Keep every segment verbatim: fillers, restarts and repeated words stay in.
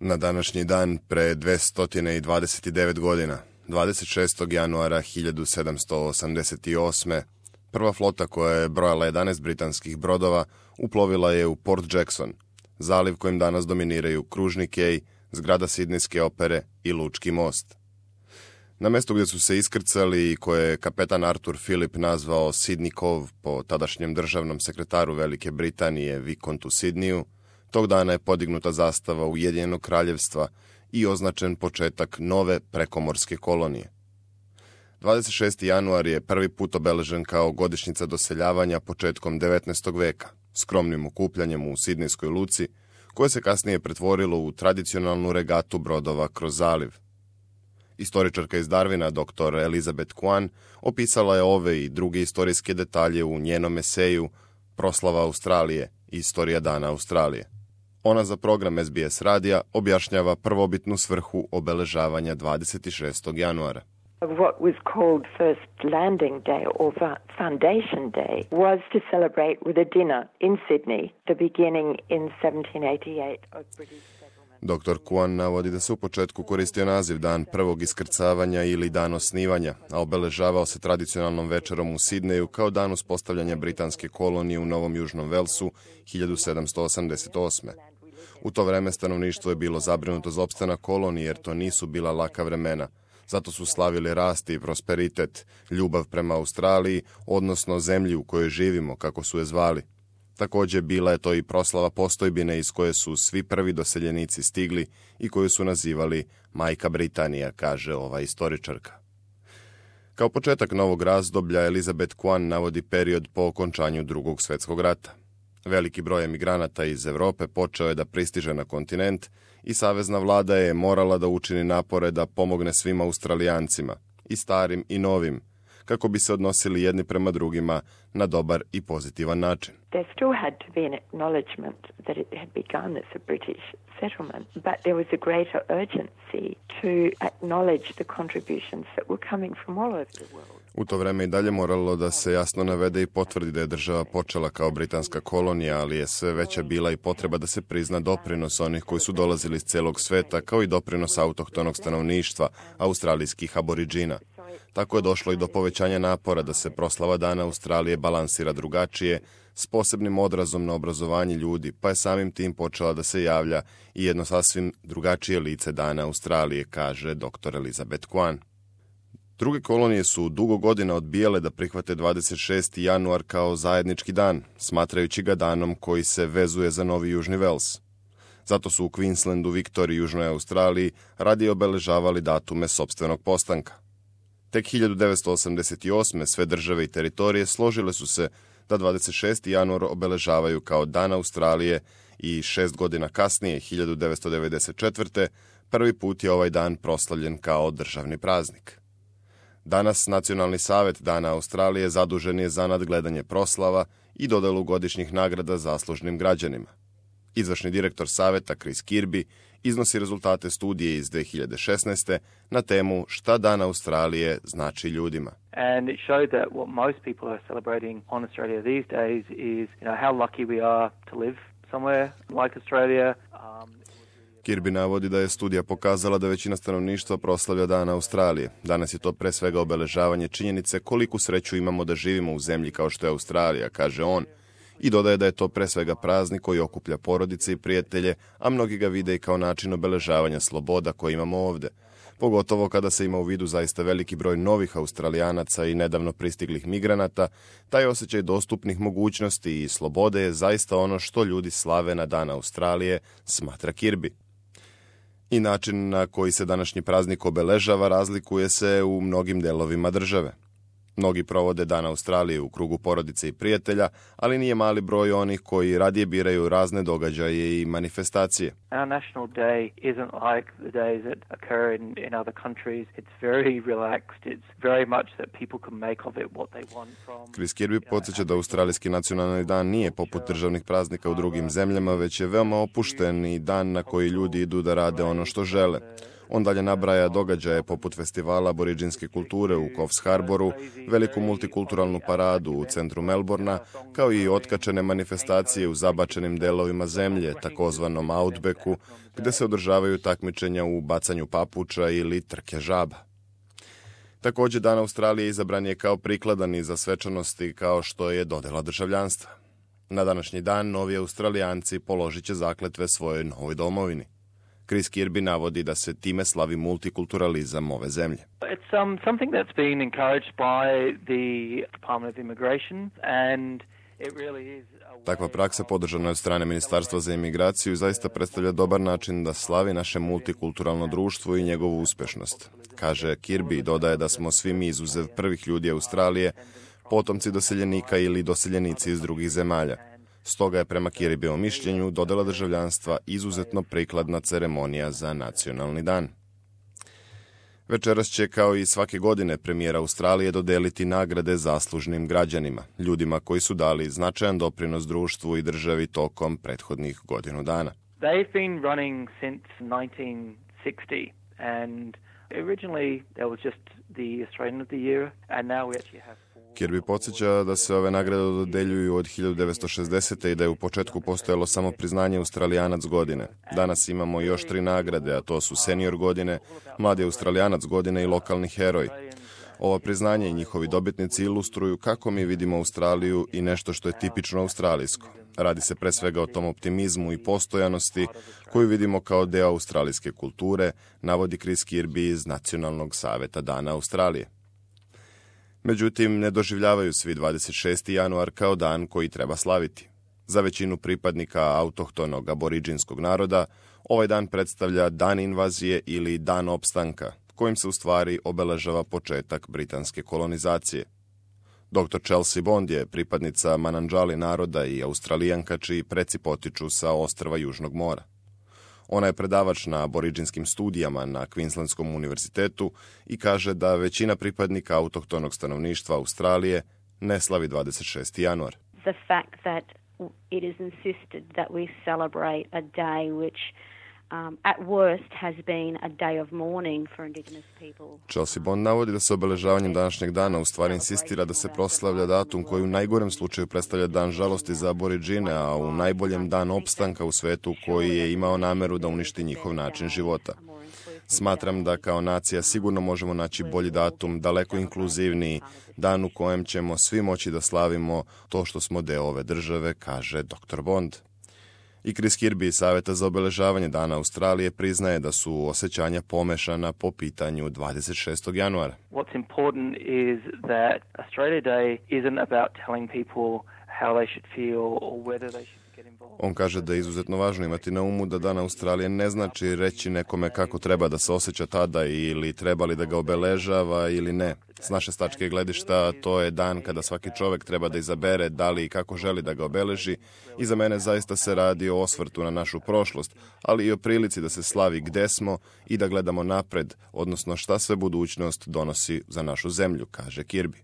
Na današnji dan pre dvesta dvadeset devet godina, dvadeset šestog januara hiljadu sedamsto osamdeset osme. prva flota koja je brojala jedanaest britanskih brodova uplovila je u Port Jackson, zaliv kojim danas dominiraju kružni kej, zgrada Sidnejske opere i Lučki most. Na mestu gdje su se iskrcali i koje je kapetan Arthur Phillip nazvao Sydney Cove po tadašnjem državnom sekretaru Velike Britanije Vikontu Sidneyu, tog dana je podignuta zastava Ujedinjenog kraljevstva i označen početak nove prekomorske kolonije. dvadeset šesti januar je prvi put obeležen kao godišnjica doseljavanja početkom devetnaestog veka, skromnim okupljanjem u Sidnejskoj luci, koje se kasnije pretvorilo u tradicionalnu regatu brodova kroz zaliv. Istoričarka iz Darwina, doktor Elizabeth Kwan, opisala je ove i druge istorijske detalje u njenom eseju Proslava Australije, Istorija dana Australije. Ona za program S B S radija objašnjava prvobitnu svrhu obeležavanja dvadeset šestog januara. What was called First Landing Day or Foundation Day was to celebrate with a dinner in Sydney, the beginning in seventeen eighty-eight of British settlement. doktor Kwan navodi da se u početku koristio naziv Dan prvog iskrcavanja ili Dan osnivanja, a obeležavao se tradicionalnom večerom u Sidneju kao dan uspostavljanja britanske kolonije u Novom Južnom Velsu hiljadu sedamsto osamdeset osme. U to vreme stanovništvo je bilo zabrinuto za opstanak kolonije jer to nisu bila laka vremena. Zato su slavili rast i prosperitet, ljubav prema Australiji, odnosno zemlji u kojoj živimo, kako su je zvali. Također bila je to i proslava postojbine iz koje su svi prvi doseljenici stigli i koju su nazivali Majka Britanija, kaže ova istoričarka. Kao početak novog razdoblja, Elizabeth Kwan navodi period po okončanju Drugog svjetskog rata. Veliki broj emigranata iz Europe počeo je da pristiže na kontinent i savezna vlada je morala da učini napore da pomogne svim Australijancima, i starim i novim, kako bi se odnosili jedni prema drugima na dobar i pozitivan način. There still had to be an acknowledgement that it had begun as a British settlement, but there was a greater urgency to acknowledge the contributions that were coming from all over the world. U to vreme i dalje moralo da se jasno navede i potvrdi da je država počela kao britanska kolonija, ali je sve veća bila i potreba da se prizna doprinos onih koji su dolazili iz celog sveta, kao i doprinos autohtonog stanovništva, australijskih aboriđina. Tako je došlo i do povećanja napora da se proslava Dana Australije balansira drugačije, s posebnim odrazom na obrazovanje ljudi, pa je samim tim počela da se javlja i jedno sasvim drugačije lice Dana Australije, kaže doktor Elizabeth Kwan. Druge kolonije su dugo godina odbijale da prihvate dvadeset šesti januar kao zajednički dan, smatrajući ga danom koji se vezuje za Novi Južni Vels. Zato su u Queenslandu, Viktoriji i Južnoj Australiji radije obeležavali datume sopstvenog postanka. Tek hiljadu devetsto osamdeset osme sve države i teritorije složile su se da dvadeset šesti januar obeležavaju kao Dan Australije i šest godina kasnije, hiljadu devetsto devedeset četvrte. prvi put je ovaj dan proslavljen kao državni praznik. Danas Nacionalni savjet Dana Australije zadužen je za nadgledanje proslava i dodelu godišnjih nagrada zaslužnim građanima. Izvršni direktor savjeta Chris Kirby iznosi rezultate studije iz dve hiljade šesnaeste. na temu Šta Dan Australije znači ljudima. And it showed that what most people are celebrating on Australia these days is, you know, how lucky we are to live somewhere like Australia. Um, Kirby navodi da je studija pokazala da većina stanovništva proslavlja Dan Australije. Danas je to pre svega obeležavanje činjenice koliku sreću imamo da živimo u zemlji kao što je Australija, kaže on, i dodaje da je to pre svega praznik koji okuplja porodice i prijatelje, a mnogi ga vide i kao način obeležavanja sloboda koje imamo ovde. Pogotovo kada se ima u vidu zaista veliki broj novih Australijanaca i nedavno pristiglih migranata, taj osjećaj dostupnih mogućnosti i slobode je zaista ono što ljudi slave na Dan Australije, smatra Kirby. I način na koji se današnji praznik obeležava razlikuje se u mnogim delovima države. Mnogi provode Dan Australije u krugu porodice i prijatelja, ali nije mali broj onih koji radije biraju razne događaje i manifestacije. Our national day isn't like the days that occur in, in other countries. It's very relaxed. It's very much that people can make of it what they want from. Chris Kirby podsjeća da Australijski nacionalni dan nije poput državnih praznika u drugim zemljama, već je veoma opušten i dan na koji ljudi idu da rade ono što žele. On dalje nabraja događaje poput festivala aboriđinske kulture u Coffs Harboru, veliku multikulturalnu paradu u centru Melbourna, kao i otkačene manifestacije u zabačenim delovima zemlje, takozvanom Outbacku, gde se održavaju takmičenja u bacanju papuča ili trke žaba. Također, Dan Australije izabran je kao prikladan i za svečanosti kao što je dodjela državljanstva. Na današnji dan novi Australijanci položit će zakletve svojoj novoj domovini. Chris Kirby navodi da se time slavi multikulturalizam ove zemlje. It's um, something that's been encouraged by the Department of Immigration and it really is. Takva praksa podržana je od strane Ministarstva za imigraciju i zaista predstavlja dobar način da slavi naše multikulturalno društvo i njegovu uspešnost. Kaže Kirby i dodaje da smo svi mi izuzev prvih ljudi Australije potomci doseljenika ili doseljenici iz drugih zemalja. Stoga je prema Kirbyjevom mišljenju dodjela državljanstva izuzetno prikladna ceremonija za nacionalni dan. Večeras će, kao i svake godine, premijer Australije dodeliti nagrade zaslužnim građanima, ljudima koji su dali značajan doprinos društvu i državi tokom prethodnih godinu dana. They've been running since nineteen sixty and originally there was just the Australian of the Year and now we actually have Kirby podsjeća da se ove nagrade dodeljuju od hiljadu devetsto šezdesete. i da je u početku postojalo samo priznanje Australijanac godine. Danas imamo još tri nagrade, a to su senior godine, mladi Australijanac godine i lokalni heroj. Ova priznanja i njihovi dobitnici ilustruju kako mi vidimo Australiju i nešto što je tipično australijsko. Radi se pre svega o tom optimizmu i postojanosti koju vidimo kao deo australijske kulture, navodi Chris Kirby iz Nacionalnog saveta Dana Australije. Međutim, ne doživljavaju svi dvadeset šesti januar kao dan koji treba slaviti. Za većinu pripadnika autohtonog aboriđinskog naroda, ovaj dan predstavlja dan invazije ili dan opstanka, kojim se u stvari obeležava početak britanske kolonizacije. doktor Chelsea Bond je pripadnica Manandžali naroda i Australijanka čiji preci potiču sa ostrva Južnog mora. Ona je predavač na aboriđinskim studijama na Queenslandskom univerzitetu i kaže da većina pripadnika autohtonog stanovništva Australije ne slavi dvadeset šesti januar. The fact that it is insisted that we celebrate a day which Um, at worst has been a day of mourning for Indigenous people. Chelsea Bond navodi da se obeležavanjem današnjeg dana u stvari insistira da se proslavlja datum koji u najgorem slučaju predstavlja dan žalosti za aboriđine, a u najboljem dan opstanka u svetu koji je imao nameru da uništi njihov način života. Smatram da kao nacija sigurno možemo naći bolji datum, daleko inkluzivniji, dan u kojem ćemo svi moći da slavimo to što smo deo ove države, kaže doktor Bond. I Chris Kirby iz Saveta za obeležavanje Dana Australije priznaje da su osjećanja pomešana po pitanju dvadeset šestog januara. What's important is that Australia Day isn't about telling people how they should feel or whether they should get involved. On kaže da je izuzetno važno imati na umu da Dan Australije ne znači reći nekome kako treba da se osjeća tada ili treba li da ga obeležava ili ne. S naše tačke gledišta to je dan kada svaki čovjek treba da izabere da li i kako želi da ga obeleži i za mene zaista se radi o osvrtu na našu prošlost, ali i o prilici da se slavi gde smo i da gledamo napred, odnosno šta sve budućnost donosi za našu zemlju, kaže Kirby.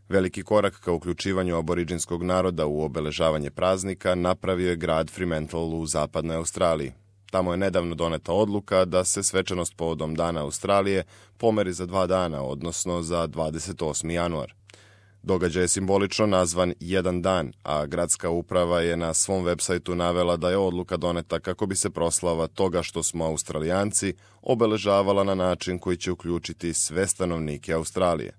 Veliki korak ka uključivanju aboriđinskog naroda u obeležavanje praznika napravio je grad Fremantle u zapadnoj Australiji. Tamo je nedavno doneta odluka da se svečanost povodom Dana Australije pomeri za dva dana, odnosno za dvadeset osmi januar. Događaj je simbolično nazvan Jedan dan, a gradska uprava je na svom websajtu navela da je odluka doneta kako bi se proslava toga što smo Australijanci obeležavala na način koji će uključiti sve stanovnike Australije.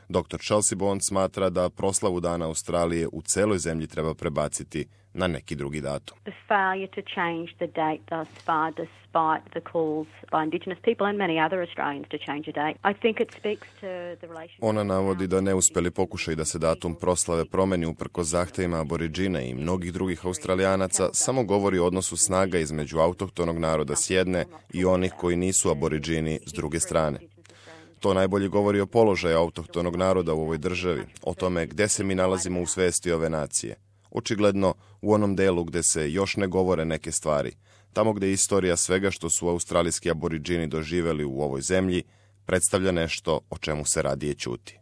doktor Chelsea Bond smatra da proslavu Dana Australije u celoj zemlji treba prebaciti na neki drugi datum. The failure to change the date thus far, despite the calls by Indigenous people and many other Australians to change the date, I think it speaks to the relationship. Ona navodi da neuspeli pokušaj da se datum proslave promeni uprkos zahtevima aboriđina i mnogih drugih Australijanaca samo govori o odnosu snaga između autohtonog naroda s jedne i onih koji nisu aboriđini s druge strane. To najbolje govori o položaju autohtonog naroda u ovoj državi, o tome gde se mi nalazimo u svesti ove nacije. Očigledno u onom delu gde se još ne govore neke stvari, tamo gde istorija svega što su australijski aboriđini doživeli u ovoj zemlji, predstavlja nešto o čemu se radije ćuti.